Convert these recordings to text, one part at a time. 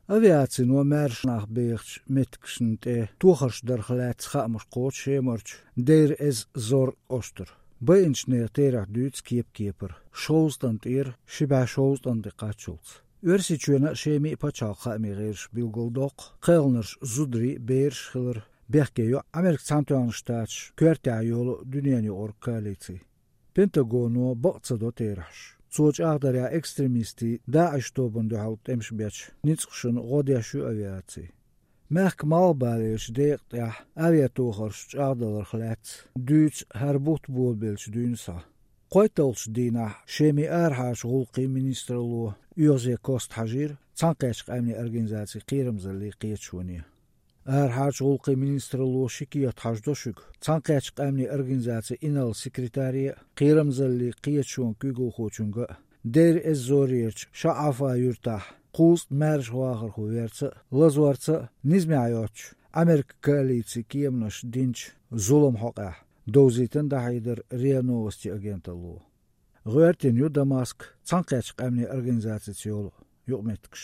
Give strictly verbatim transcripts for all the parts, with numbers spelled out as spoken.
Авиацино маьрша нах бехачу меттигашна тӀе тохарш дарх лаьцна хаамаш кхочу Шемарчу Дейр-эз-Зор кӀоштара. Байинчу нехан терахь дуьйцу кеп-кепара, шовзткъа тӀера ши бӀе шовзткъа тӀе кхаччалц. Оьрсийчоьнан а, Шеман а пачхьалкхан хаамийн гӀирсаша билгалдоккху кхелхинарш зударий а, бераш а хилар. Бехке йо Американ Цхьаьнатоьхна Штаташ коьртехь йолу дуьненан юкъара коалици. Пентагоно бакъ ца до терахьаш. Цо чӀагӀдарехь, экстремистийн ДАИШ тобанна дуьхьал тӀемаш бечу ницкъашна гӀо деш ю авиаци. Мехкан малхбалерчу декъа тӀехь авиатохарш чӀагӀдаларх лаьцна дуьйцу хӀара бутт болабеллачу дуьйна схьа. КхойтталгӀачу дийнахь Шеман арахьарчу гӀуллакхийн министралло оьгӀазе кост хьажийра Цхьаьнакхеттачу Къаьмнийн Организацин кхерамзаллин кхеташоне. Арахьарчу гӀуллакхийн министралло ши кехат хьажадо шуьга Цхьаьнакхеттачу Къаьмнийн Организацин инарла секретаре а, кхерамзаллин кхеташонан куьйгалхочуьнга а, Дейр-эз-Зорерчу Шаъафа юьртахь кхузткъа маьрша вахархо верца а, лазорца а низамехь йоцчу Америкин коалицин кеманаша динчу зуламан хьокъехь, довзийтина дӀахьедар РИА Новости агенталло. ГӀоьртина ю Дамаск Цхьаьнакхеттачу Къаьмнийн Организацица йолу юкъаметтигаш.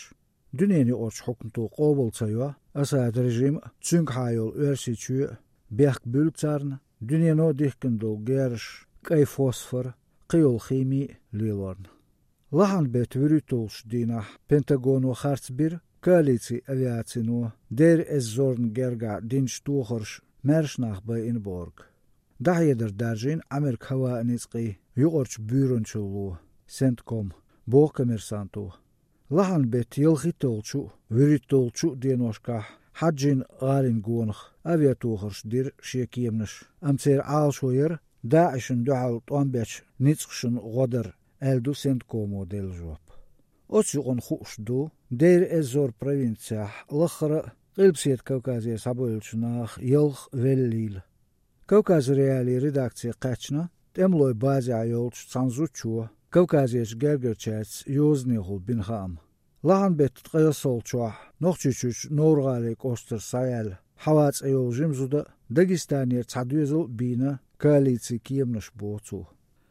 Дуьненан юкъарчу хьукмато къобал ца йо Асад режим а, цуьнгахьа йолу Оьрсийчоь а, бехк буьллу царна дуьнено дихкина долу герзаш, кӀайн фосфор, кхин йолу хими а лелорна. Лахьан беттан вуьрхӀитталгӀачу дийнахь Пентагоно харц бира коалицин авиацино Дейр-эз-Зорна гергахь динчу тохарша маьрша нах байина бохург. ДӀахьедар даржийна Америкин хӀаваан ницкъийн юкъарчу буьйранчалло, Сентком, боху Коммерсанто. Лахьан беттан ялхитталгӀачу а, вуьрхӀитталгӀачу а деношкахь Хьаджин гӀалин гонах авиатохарш дира шен кеманаша, амма церан Ӏалашо яра ДАИШна дуьхьал тӀом бечу ницкъашна гӀо дар, аьлла ду Сенткомо делла жоп. Оцу юкъана хууш ду Дейр-эз-Зор провинцехь лаххара а Къилбаседа Кавказера схьабевллачу наха ялх веллийла. Кавказ.Реалии редакце кхаьчна тӀемалойн базехь йолчу цхьана зудчо Кавказерчу гергарчаьрца йозанехула бина хаам. Лахьан беттан ткъе ялсалгӀачохь Нохчийчуьрчу Новр-ГӀалин кӀоштара схьаваьлла Хьава цӀе йолу жима зуда а Дагестанера цхьа доьзал а бийна коалицин кеманаша, боху цо.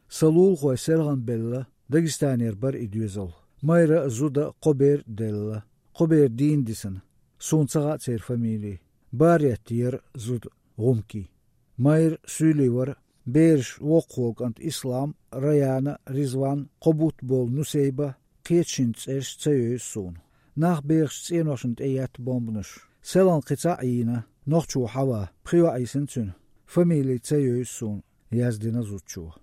Сан лулахой селханбелла Дагестанера бара и доьзал. Майра а, зуда а, кхо бер а делла. Кхо бер дийна дисина. Суна ца хаьа церан фамилий. Баретта яра зуда, гӀумкий. Майра суьйлий вара, бераш воккхахволу кӀант Ислам, Раяна, Ризван, кхо бутт болу Нусейба, кхечу шинна цӀераш ца евза суна. Нах бехачу цӀеношна тӀе етта бомбанаш. Селхана кхин цхьаъ йийна, нохчо Хьава, пхи йоӀ йисина цуьнан. Фамилий ца евза суна, яздина зудчо.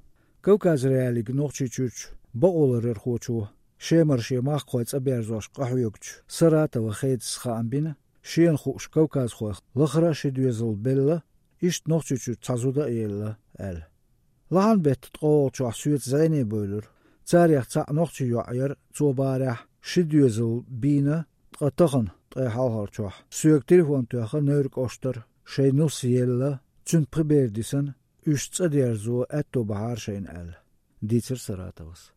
Кавказ.Реалиига Нохчийчуьрчу бакъоларъярхочо, Шемара шен махкахой цӀа берзош къахьоьгучу Саратова Хедас хаам бина, шена хууш кавказхойх лахара а ши доьзал белла, иштта Нохчийчуьра цхьа зуда а елла, аьлла. Лахьан беттан ткъолгӀачохь соьца зӀене бевлира. Царех цхьаъ нохчийн йоӀ яра, цо бахарехь, ши доьзал бийна, ткъа тахана, ткъе хьалхарчохь, соьга телефон тоьхна Невран кӀоштара, шайн нус елла, цуьнан пхи бер дисина, уьш цӀа дерзо аьтто бахьара шайна аьлла, дийцира Саратовас.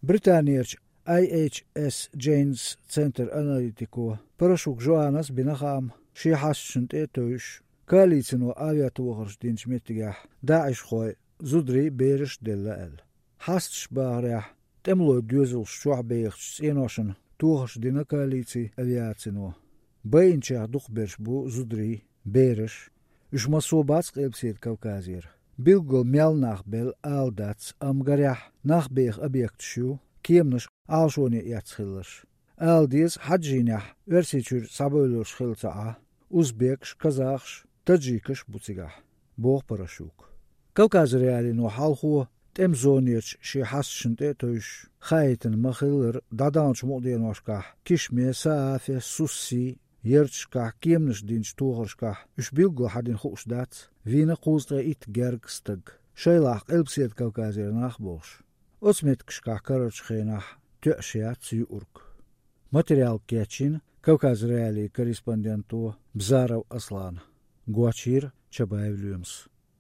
Британерчу I H S Janes центран аналитико Парашук Жоанас бина хаам, шен хьасташна тӀе а тевжаш, коалицино авиатохарш динчу меттигехь ДАИШхойн зударий а, бераш а делла аьлла. Хьасташа бахарехь, тӀемалойн доьзалш чохь бехачу цӀеношна тохарш дина коалицин авиацино. Байинчех дукхахберш бу зударий, бераш. Уьш массо а бац Къилбаседа Кавказера. Билггал мел нах белла ала дац, амма гарехь, нах беха объекташ ю, кеманаш Ӏалашоне эцна хилларш. Ала деза, Хьаджинехь Оьрсийчуьра схьабевлларш хилла ца Ӏа, узбекаш, казахаш, таджикаш бу цигахь, боху Парашука. Кавказ.Реалиино хьалхо тӀеман зонерчу шен хьасташна тӀе а тевжаш, хаийтина ма-хиллара, дӀадаханчу мукъа деношкахь Кишме, Саафе, Сусси ярташкахь кеманаш динчу тохаршкахь уьш билггал хьан дина хууш дац, вийна кхузткъе итт гергга стаг, шайлахь Къилбаседа Кавказера нах а болуш. Оцу меттигашкахь карарчу хенахь тоьаш яц юург. Материал кечйина Кавказ.Реалиин корреспонденто Бзаров Аслана, гочйийра Чабаев Лоьмас.